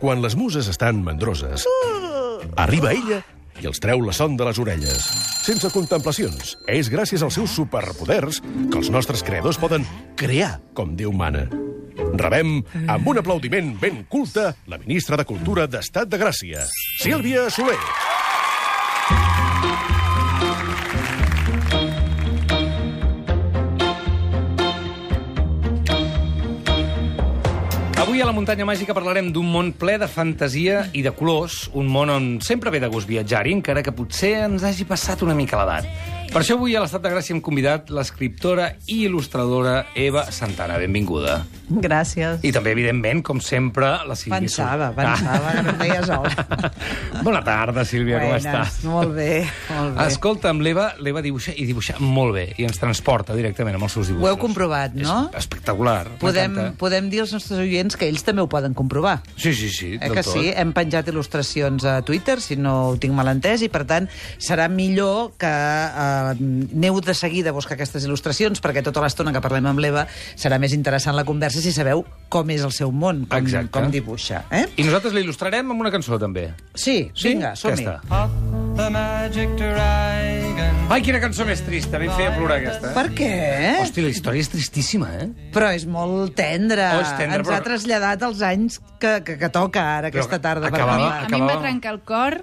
Quan les muses estan mandroses, arriba ella i els treu la son de les orelles. Sense contemplacions. És gràcies als seus superpoders que els nostres creadors poden crear com Déu mana. Rebem, amb un aplaudiment ben culte, la ministra de Cultura d'Estat de Gràcia, Sílvia Soler. Avui a la Muntanya Màgica parlarem d'un món ple de fantasia i de colors, un món on sempre ve de gust viatjar-hi, encara que potser ens hagi passat una mica l'edat. Per això avui a l'Estat de Gràcia hem convidat l'escriptora i il·lustradora Eva Santana. Benvinguda. Gràcies. I també, evidentment, com sempre, la Sílvia. Pensava que no em deia sola. Bona tarda, Sílvia, com estàs? Molt bé, molt bé. Escolta'm, l'Eva dibuixa i dibuixa molt bé i ens transporta directament amb els seus dibuixos. Ho heu comprovat, no? És espectacular. Podem dir als nostres oients que ells també ho poden comprovar. Sí, del que tot. sí? Hem penjat il·lustracions a Twitter, si no ho tinc mal entès, i per tant serà millor que aneu de seguida a buscar aquestes il·lustracions, perquè tota l'estona que parlem amb l'Eva serà més interessant la conversa si sabeu com és el seu món, com dibuixa. I nosaltres l'il·lustrarem amb una cançó, també. Sí, vinga, som-hi. Ai, quina cançó més trista, ben feia plorar aquesta. Per què? Hosti, la història és tristíssima, Però és molt tendra. Oh, és tendra, Ens ha traslladat als anys que toca ara, aquesta tarda. Acabava- A mi em va trencar el cor.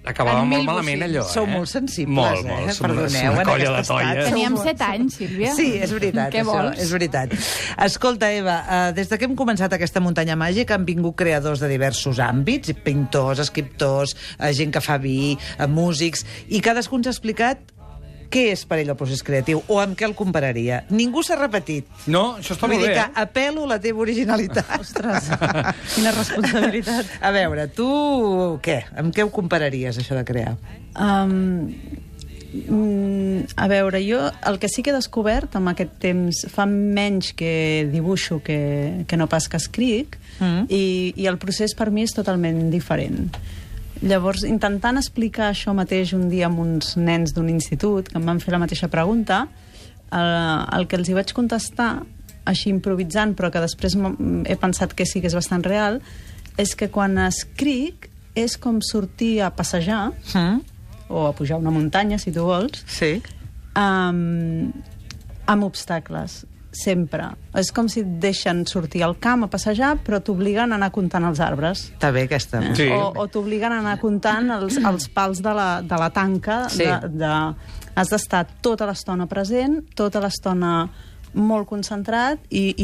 Acabava En molt 1800. malament, allò, Sou molt sensibles, Molt. Som Perdoneu, una en colla aquest de toia. estat. Teníem 7 anys, Sílvia. Sí, és veritat, Què això, vols? és veritat. Escolta, Eva, des de que hem començat aquesta muntanya màgica han vingut creadors de diversos àmbits, pintors, escriptors, gent que fa vi, músics, i cadascun ens ha explicat què és per ell el procés creatiu o amb què el compararia. Ningú s'ha repetit. No, això està Vull molt dir bé, que apel·lo a la teva originalitat. Ostres, quina responsabilitat. A veure, tu què? Amb què ho compararies, això de crear? A veure, jo el que sí que he descobert amb aquest temps, fa menys que dibuixo que no pas que escric, i el procés per mi és totalment diferent. Llavors, intentant explicar això mateix un dia amb uns nens d'un institut que em van fer la mateixa pregunta, el que els hi vaig contestar, així improvisant, però que després he pensat que sí que és bastant real, és que quan escric és com sortir a passejar, o a pujar una muntanya, si tu vols, Sí. amb obstacles, sempre. És com si et deixen sortir al camp a passejar, però t'obliguen a anar comptant els arbres. Està bé, aquesta. Sí. O t'obliguen a anar comptant els pals de la tanca. Sí. Has d'estar tota l'estona present, tota l'estona molt concentrat i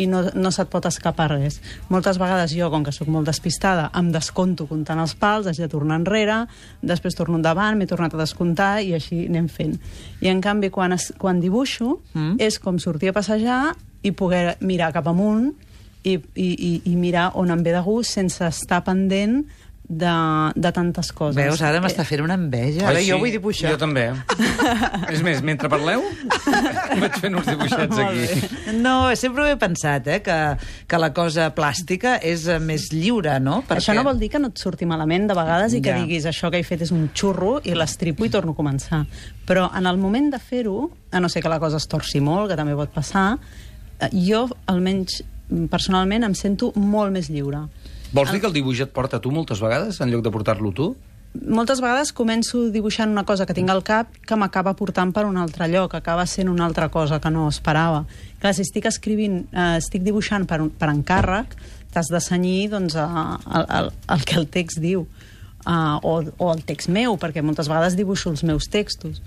no se't pot escapar res. Moltes vegades jo, com que sóc molt despistada, em desconto comptant els pals, haig de tornar enrere, després torno endavant, m'he tornat a descomptar i així anem fent. I en canvi, quan dibuixo, és com sortir a passejar i poder mirar cap amunt i mirar on em ve de gust sense estar pendent de tantes coses. Veus, ara m'està fent una enveja. Ara jo vull dibuixar. Jo també. És més, mentre parleu, vaig fent uns dibuixets aquí. No, sempre ho he pensat, que la cosa plàstica és més lliure, no? Això no vol dir que no et surti malament de vegades i que Ja. diguis això que he fet és un xurro i l'estripo i torno a començar. Però en el moment de fer-ho, a no ser que la cosa es torci molt, que també pot passar, jo, almenys personalment, em sento molt més lliure. Vols dir que el dibuix et porta a tu moltes vegades, en lloc de portar-lo tu? Moltes vegades començo dibuixant una cosa que tinc al cap que m'acaba portant per un altre lloc, acaba sent una altra cosa que no esperava. Clar, si estic escrivint, estic dibuixant per encàrrec, t'has de cenyir doncs, el que el text diu, o el text meu, perquè moltes vegades dibuixo els meus textos.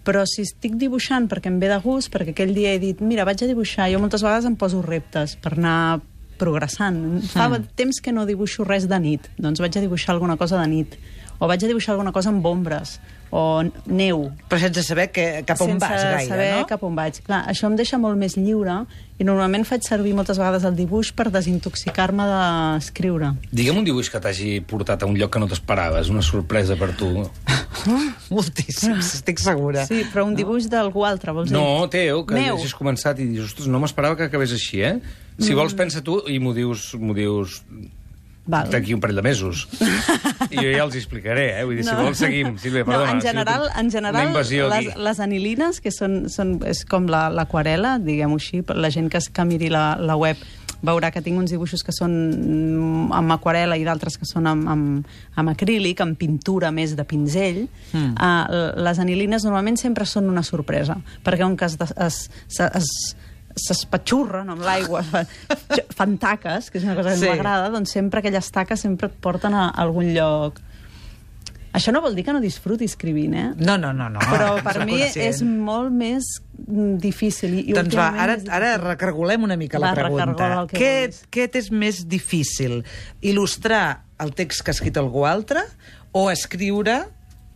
Però si estic dibuixant perquè em ve de gust, perquè aquell dia he dit, mira, vaig a dibuixar, jo moltes vegades em poso reptes per anar progressant. Fa temps que no dibuixo res de nit, doncs vaig a dibuixar alguna cosa de nit, o vaig a dibuixar alguna cosa amb ombres, o neu. Però sense saber cap on vas gaire, sense saber cap on vaig. Clar, això em deixa molt més lliure i normalment faig servir moltes vegades el dibuix per desintoxicar-me d'escriure. Digue'm un dibuix que t'hagi portat a un lloc que no t'esperaves, una sorpresa per tu. Moltíssims, estic segura. Sí, però un dibuix d'algú altre, vols dir? No, teu, que Meu. hagis començat i dius, ostres, no m'esperava que acabés així, Si vols, pensa tu i m'ho dius Val. d'aquí un parell de mesos. I jo ja els explicaré, Vull dir, si vols seguim, Sílvia, perdona. No, en general una invasió aquí. les anilines, que és com l'aquarela, diguem-ho així, la gent que miri la web veurà que tinc uns dibuixos que són amb aquarela i d'altres que són amb acrílic, amb pintura més de pinzell. Les anilines normalment sempre són una sorpresa, perquè on que s'espatxurren amb l'aigua, fan taques, que és una cosa que m'agrada, doncs sempre aquelles taques sempre et porten a algun lloc. Això no vol dir que no disfruti escrivint, eh? No. Però per mi és molt més difícil. Doncs va, ara recargolem una mica la pregunta. Què és més difícil? Il·lustrar el text que ha escrit algú altre o escriure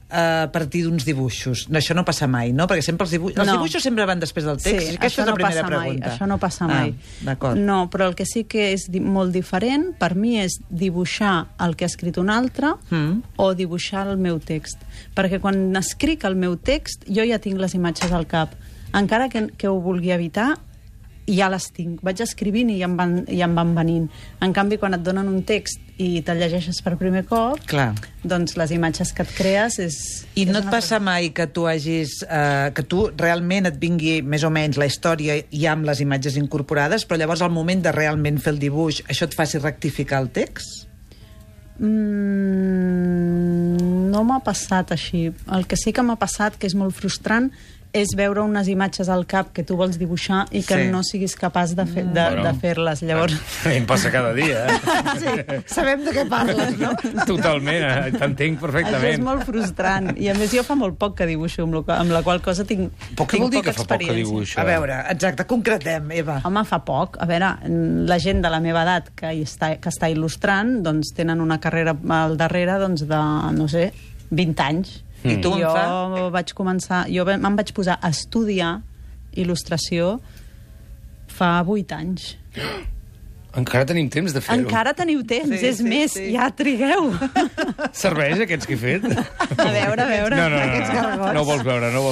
a partir d'uns dibuixos? No, això no passa mai, no? Perquè sempre els dibuixos sempre van després del text. Sí, aquesta és la primera pregunta. Això no passa mai. D'acord. No, però el que sí que és molt diferent per mi és dibuixar el que ha escrit un altre o dibuixar el meu text. Perquè quan escric el meu text jo ja tinc les imatges al cap. Encara que ho vulgui evitar, ja les tinc. Vaig escrivint i ja em van venint. En canvi, quan et donen un text i te'l llegeixes per primer cop, doncs les imatges que et crees és... I no et passa mai que tu que tu realment et vingui més o menys la història ja amb les imatges incorporades, però llavors al moment de realment fer el dibuix això et faci rectificar el text? No m'ha passat així. El que sí que m'ha passat, que és molt frustrant, és veure unes imatges al cap que tu vols dibuixar i que no siguis capaç de fer-les. Llavors... A mi em passa cada dia, Sí, sabem de què parles, no? Totalment, t'entenc perfectament. Això és molt frustrant. I a més jo fa molt poc que dibuixo, amb la qual cosa tinc Què vol dir que fa poc que dibuixa? A veure, exacte, concretem, Eva. Home, fa poc. A veure, la gent de la meva edat que està il·lustrant, doncs tenen una carrera al darrere de, no sé, 20 anys. I tu jo vaig començar... Jo me'n vaig posar a estudiar il·lustració fa 8 anys. Encara tenim temps de fer-ho. Encara teniu temps, és més, ja trigueu. Serveix aquests que he fet? A veure. Aquests gargots. No vols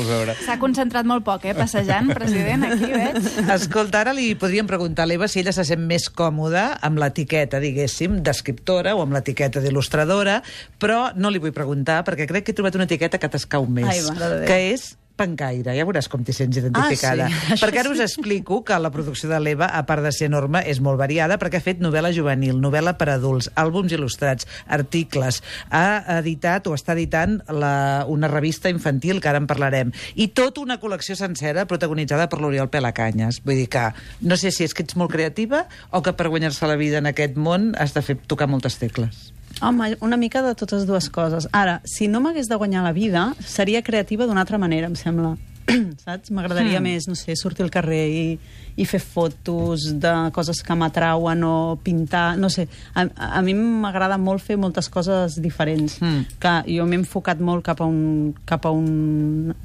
veure. S'ha concentrat molt poc, passejant, president, aquí, veig. Escolta, ara li podríem preguntar a l'Eva si ella se sent més còmoda amb l'etiqueta, diguéssim, d'escriptora o amb l'etiqueta d'il·lustradora, però no li vull preguntar, perquè crec que he trobat una etiqueta que t'escau més, que és pencaire. Ja veuràs com t'hi sents identificada. Perquè ara us explico que la producció de l'Eva, a part de ser enorme, és molt variada, perquè ha fet novel·la juvenil, novel·la per adults, àlbums il·lustrats, articles, ha editat o està editant una revista infantil, que ara en parlarem, i tota una col·lecció sencera protagonitzada per l'Oriol Pelacanyes. Vull dir que no sé si és que ets molt creativa o que per guanyar-se la vida en aquest món has de tocar moltes tecles. Home, una mica de totes dues coses. Ara, si no m'hagués de guanyar la vida, seria creativa d'una altra manera, em sembla. Saps? M'agradaria més, no sé, sortir al carrer i fer fotos de coses que m'atrauen o pintar, no sé. A mi m'agrada molt fer moltes coses diferents. Que jo m'he enfocat molt cap a un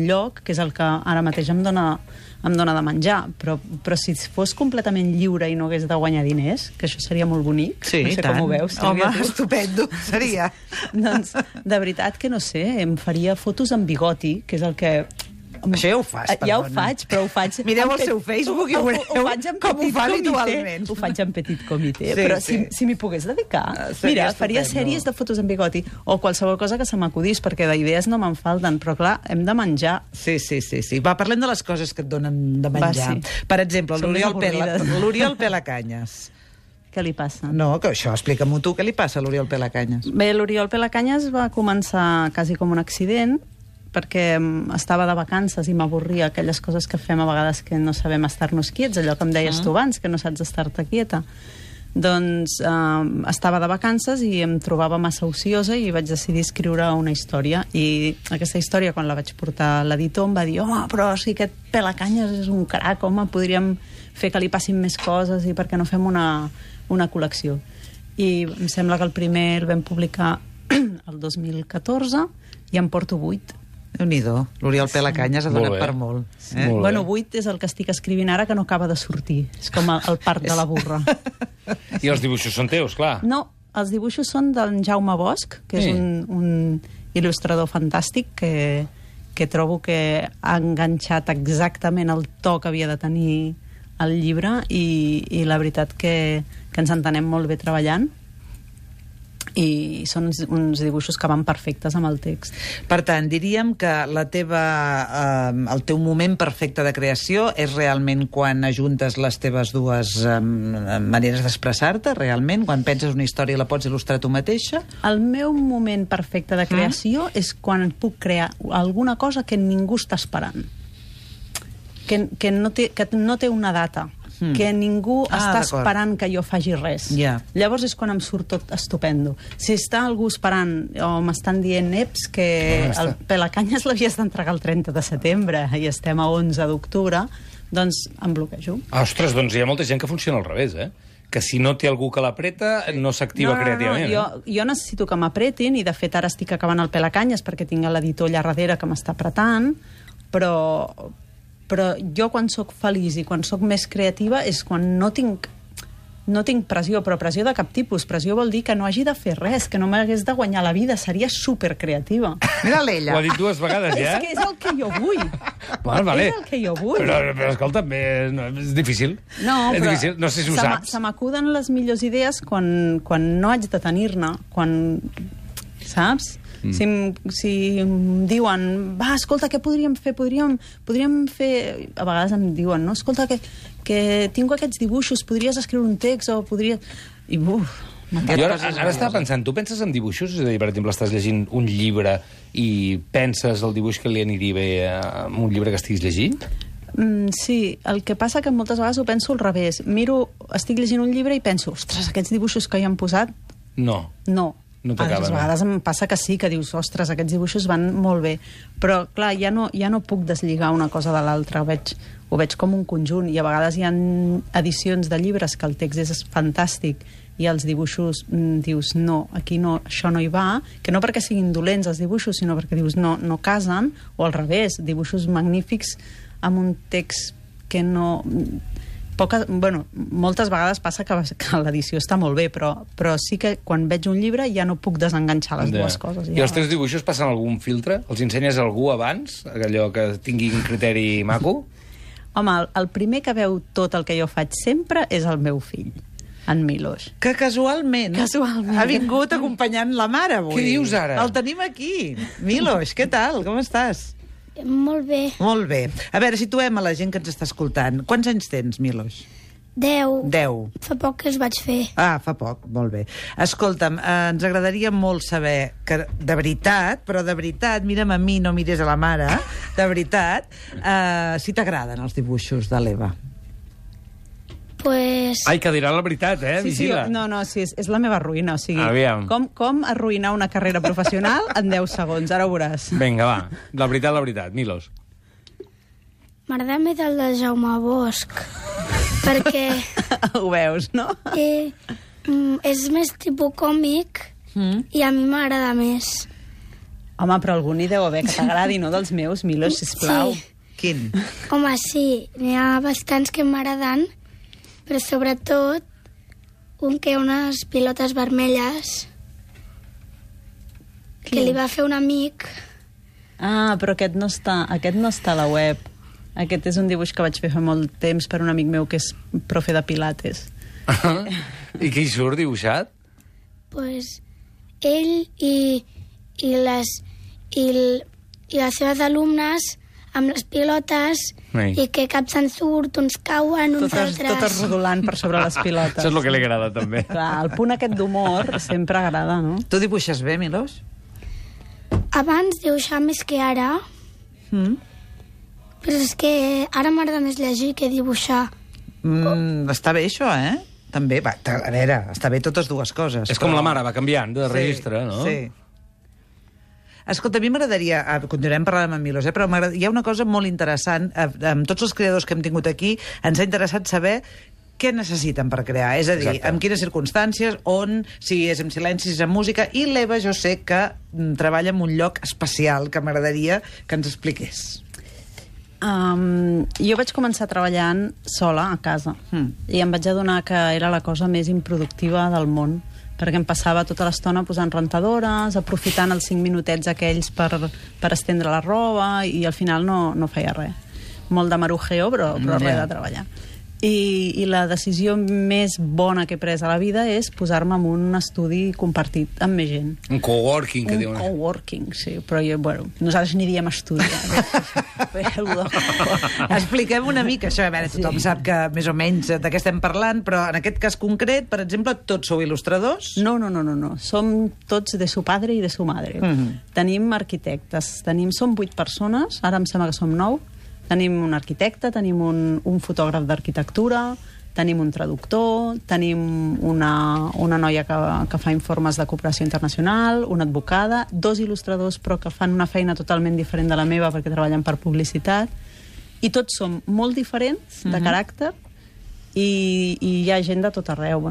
lloc, que és el que ara mateix em dona de menjar, però si fos completament lliure i no hagués de guanyar diners, que això seria molt bonic, sí, no sé com ho veus, Sílvia. Home, estupendo, seria. Doncs, de veritat que no sé, em faria fotos amb bigoti, que és el que... Això ja ho fas, perdona. Ja ho faig, però ho faig... Mireu el seu Facebook i ho veureu com ho fa habitualment. Ho faig en petit comitè, però si m'hi pogués dedicar... Mira, faria sèries de fotos en bigoti o qualsevol cosa que se m'acudís, perquè d'idees no me'n falten, però clar, hem de menjar. Sí. Va, parlem de les coses que et donen de menjar. Per exemple, l'Oriol Pelacanyes. Què li passa? No, que això, explica-m'ho tu, què li passa a l'Oriol Pelacanyes? Bé, l'Oriol Pelacanyes va començar quasi com un accident, perquè estava de vacances i m'avorria aquelles coses que fem a vegades que no sabem estar-nos quiets, allò que em deies tu abans, que no saps estar-te quieta. Doncs estava de vacances i em trobava massa ociosa i vaig decidir escriure una història. I aquesta història, quan la vaig portar a l'editor, em va dir: home, però si aquest Pelacanyes és un crac, home, podríem fer que li passin més coses i per què no fem una col·lecció. I em sembla que el primer el vam publicar el 2014 i en porto 8. Déu-n'hi-do, l'Oriol Pelacanyes ha donat per molt. Bueno, 8 és el que estic escrivint ara, que no acaba de sortir. És com el part de la burra. I els dibuixos són teus, clar. No, els dibuixos són d'en Jaume Bosch, que és un il·lustrador fantàstic que trobo que ha enganxat exactament el to que havia de tenir el llibre i la veritat que ens entenem molt bé treballant. i són uns dibuixos que van perfectes amb el text. Per tant, diríem que el teu moment perfecte de creació és realment quan ajuntes les teves dues maneres d'expressar-te, realment? Quan penses una història i la pots il·lustrar tu mateixa? El meu moment perfecte de creació és quan puc crear alguna cosa que ningú està esperant. Que no té una data. Que ningú està esperant que jo faci res. Llavors és quan em surt tot estupendo. Si està algú esperant o m'estan dient que el Pelacanyes l'havies d'entregar el 30 de setembre i estem a 11 d'octubre, doncs em bloquejo. Ostres, doncs hi ha molta gent que funciona al revés, que si no té algú que l'apreta no s'activa creativament. Jo necessito que m'apretin i de fet ara estic acabant el Pelacanyes perquè tinc l'editor allà darrere que m'està apretant, però jo quan sóc feliç i quan sóc més creativa és quan no tinc pressió, però pressió de cap tipus. Pressió vol dir que no hagi de fer res, que no m'hagués de guanyar la vida, seria supercreativa. Mira-la ella. Ho ha dit 2 vegades ja. És que és el que jo vull. Vale. És el que jo vull. Però escolta, és difícil. No, és però difícil. No sé si ho saps. Se m'acuden les millors idees quan no haig de tenir-ne, saps? Si em diuen, va, escolta, què podríem fer? Podríem fer... A vegades em diuen, no? Escolta, que tinc aquests dibuixos, podries escriure un text o podria... I ara estava pensant, tu penses en dibuixos? És a dir, per exemple, estàs llegint un llibre i penses el dibuix que li aniria bé a un llibre que estiguis llegint? Sí, el que passa que moltes vegades ho penso al revés. Estic llegint un llibre i penso, ostres, aquests dibuixos que hi han posat... No. No t'acaben. A vegades em passa que sí, que dius, ostres, aquests dibuixos van molt bé. Però, clar, ja no puc deslligar una cosa de l'altra. Ho veig com un conjunt. I a vegades hi ha edicions de llibres que el text és fantàstic i els dibuixos dius, no, aquí no, això no hi va, que no perquè siguin dolents els dibuixos, sinó perquè dius, no casen, o al revés, dibuixos magnífics amb un text que no... moltes vegades passa que l'edició està molt bé, però sí que quan veig un llibre ja no puc desenganxar les dues coses. I els teus dibuixos passen algun filtre? Els ensenyes a algú abans? Allò que tingui un criteri maco? Home, el primer que veu tot el que jo faig sempre és el meu fill, en Milos. Que casualment ha vingut acompanyant la mare avui. Què dius ara? El tenim aquí. Milos, què tal? Com estàs? Molt bé. Molt bé. A veure, situem a la gent que ens està escoltant. Quants anys tens, Milos? 10. 10. Fa poc que els vaig fer. Fa poc, molt bé. Escolta'm, ens agradaria molt saber que, de veritat, mira'm a mi, no mires a la mare, de veritat, si t'agraden els dibuixos de l'Eva. Pues... Ai, que dirà la veritat, vigila. Sí, és la meva ruïna, o sigui... Aviam. Com arruïnar una carrera professional en 10 segons, ara ho veuràs. Vinga, va, la veritat, Milos. M'agrada més el de Jaume Bosch, perquè... Ho veus, no? És més tipus còmic i a mi m'agrada més. Home, però algun hi deu haver que t'agradi, no, dels meus, Milos, sisplau. Sí. Quin? Home, sí, n'hi ha bastants que m'agraden, però sobretot un que unes pilotes vermelles que li va fer un amic. Ah, però aquest no està a la web. Aquest és un dibuix que vaig fer fa molt temps per un amic meu que és profe de pilates. I què hi surt dibuixat? Pues ell i les seves alumnes amb les pilotes i que cap se'n surt, uns cauen, uns altres... Totes rodolant per sobre les pilotes. Això és el que li agrada, també. Clar, el punt aquest d'humor sempre agrada, no? Tu dibuixes bé, Milos? Abans dibuixava més que ara, però és que ara m'agrada més llegir que dibuixar. Està bé, això, També, va, a veure, està bé totes dues coses. És com la mare, va canviant de registre, no? Sí. Escolta, a mi m'agradaria... Continuarem parlant amb en Milos, però hi ha una cosa molt interessant. Amb tots els creadors que hem tingut aquí, ens ha interessat saber què necessiten per crear. És a dir, en quines circumstàncies, on, si és en silenci, si és en música. I l'Eva, jo sé que treballa en un lloc especial que m'agradaria que ens expliqués. Jo vaig començar treballant sola a casa i em vaig adonar que era la cosa més improductiva del món, perquè em passava tota l'estona posant rentadores, aprofitant els 5 minutets aquells per estendre la roba, i al final no feia res. Molt de marujeo, però res de treballar. I la decisió més bona que he pres a la vida és posar-me en un estudi compartit amb més gent. Un coworking, que diuen. Un coworking, sí, però nosaltres n'hi diem estudi. Expliquem una mica això, a veure, tothom sap que més o menys de què estem parlant, però en aquest cas concret, per exemple, tots sou il·lustradors? No. Som tots de su padre i de su madre. Tenim arquitectes, som 8 persones, ara em sembla que som 9. Tenim un arquitecte, tenim un fotògraf d'arquitectura, tenim un traductor, tenim una noia que fa informes de cooperació internacional, una advocada, 2 il·lustradors però que fan una feina totalment diferent de la meva perquè treballen per publicitat, i tots som molt diferents de caràcter i hi ha gent de tot arreu.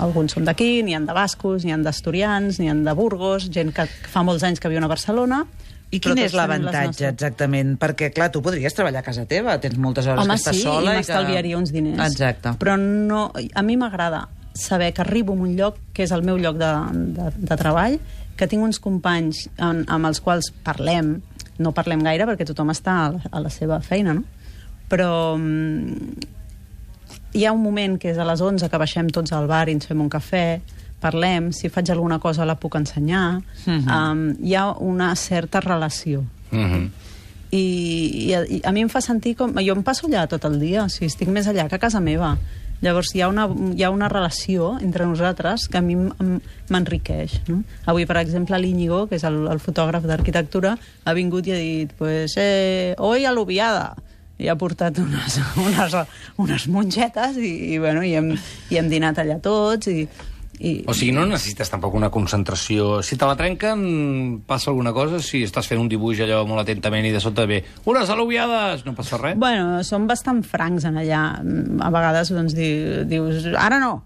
Alguns som d'aquí, n'hi ha de bascos, n'hi ha d'asturians, n'hi ha de Burgos, gent que fa molts anys que viu a Barcelona. I quin és l'avantatge, exactament? Perquè, clar, tu podries treballar a casa teva, tens moltes hores que estàs sola. Home, sí, i m'estalviaria uns diners. Exacte. Però no, a mi m'agrada saber que arribo a un lloc que és el meu lloc de treball, que tinc uns companys amb els quals parlem, no parlem gaire perquè tothom està a la seva feina, no? Però hi ha un moment que és a les 11 que baixem tots al bar i ens fem un cafè, parlem, si faig alguna cosa la puc ensenyar, hi ha una certa relació. I a mi em fa sentir com... Jo em passo allà tot el dia, o sigui, estic més allà que a casa meva. Llavors hi ha una relació entre nosaltres que a mi m'enriqueix. No? Avui, per exemple, l'Íñigo, que és el fotògraf d'arquitectura, ha vingut i ha dit, pues, hoy aluviada. I ha portat unes mongetes i hem dinat allà tots O sigui, no necessites tampoc una concentració. Si te la trenquen, passa alguna cosa? Si estàs fent un dibuix allò molt atentament i de sota ve unes al·luviades, no passa res? Bueno, som bastant francs en allà. A vegades doncs, dius, ara no,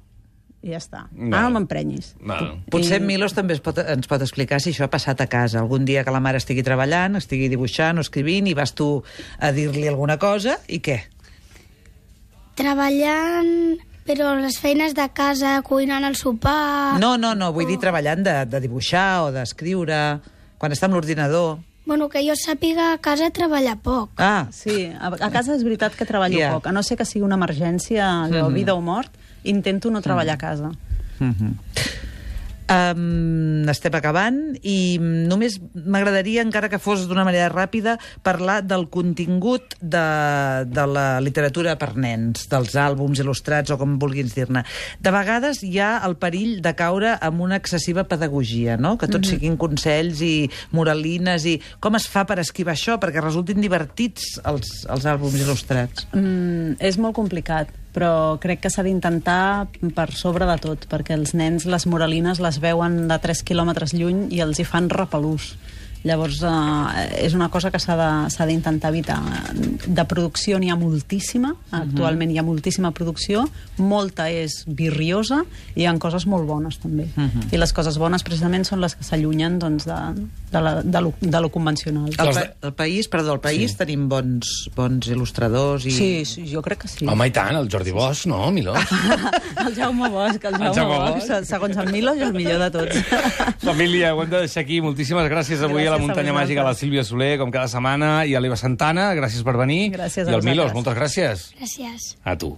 i ja està. Ara no m'emprenyis. Potser Milos també ens pot explicar si això ha passat a casa. Algun dia que la mare estigui treballant, estigui dibuixant o escrivint, i vas tu a dir-li alguna cosa, i què? Treballant... Però les feines de casa, cuinant el sopar... No, vull dir treballant de dibuixar o d'escriure, quan està amb l'ordinador. Bueno, que jo sàpiga, a casa treballa poc. Ah, sí, a casa és veritat que treballo poc. A no ser que sigui una emergència, vida o mort, intento no treballar a casa. Estem acabant i només m'agradaria, encara que fos d'una manera ràpida, parlar del contingut de la literatura per nens, dels àlbums il·lustrats o com vulguis dir-ne. De vegades hi ha el perill de caure en una excessiva pedagogia, no? Que tot siguin consells i moralines, i com es fa per esquivar això perquè resultin divertits els àlbums il·lustrats? És molt complicat, però crec que s'ha d'intentar per sobre de tot, perquè els nens les moralines les veuen de 3 quilòmetres lluny i els hi fan repelús. Llavors, és una cosa que s'ha d'intentar evitar. De producció n'hi ha moltíssima, actualment hi ha moltíssima producció, molta és virriosa, i hi ha coses molt bones també. I les coses bones precisament són les que s'allunyen doncs, de lo convencional. Al País tenim bons il·lustradors i... Sí, jo crec que sí. Home, i tant, el Jordi Bosch, no, Miló? El Jaume Bosch, segons el Miló, és el millor de tots. Família, ho hem de deixar aquí. Moltíssimes gràcies avui a la Muntanya Màgica, a la Sílvia Soler, com cada setmana, i a l'Eva Santana, gràcies per venir. Gràcies a I al vosaltres. Milos, moltes gràcies. Gràcies. A tu.